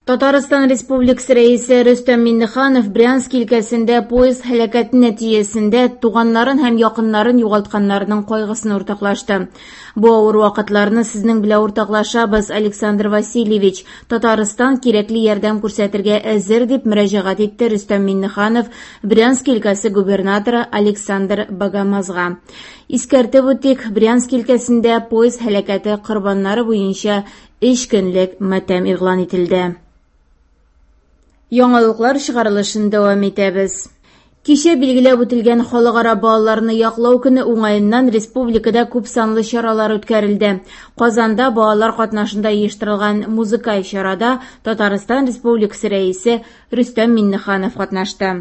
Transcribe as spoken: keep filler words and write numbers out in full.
Татарстан Республикасы Рәисе Рөстәм Миңнеханов Брянск өлкәсендә поезд һәлакәте нәтиҗәсендә туганнарын һәм якыннарын югалтканнарның кайгысын уртаклашты. Бу авыр вакытларны сезнең белән уртаклашабыз, Александр Васильевич. Татарстан кирәкле ярдәм күрсәтергә әзер, дип мөрәҗәгать итте Рөстәм Миңнеханов Брянск өлкәсе губернаторы Александр Богомазга. Искәртеп үтик, Брянск өлкәсендә поезд һәлакәте корбаннары буенча өч көнлек матәм игълан ителде. Яңалыклар чыгарылышын дәвам итәбез. Кичә билгеләп үтелгән Халыкара балаларны яклау көне уңаеннан республикада күп санлы чаралар үткәрелде. Казанда балалар катнашында оештырылган музыкаль чарада Татарстан Республикасы Рәисе Рөстәм Миңнеханов катнашты.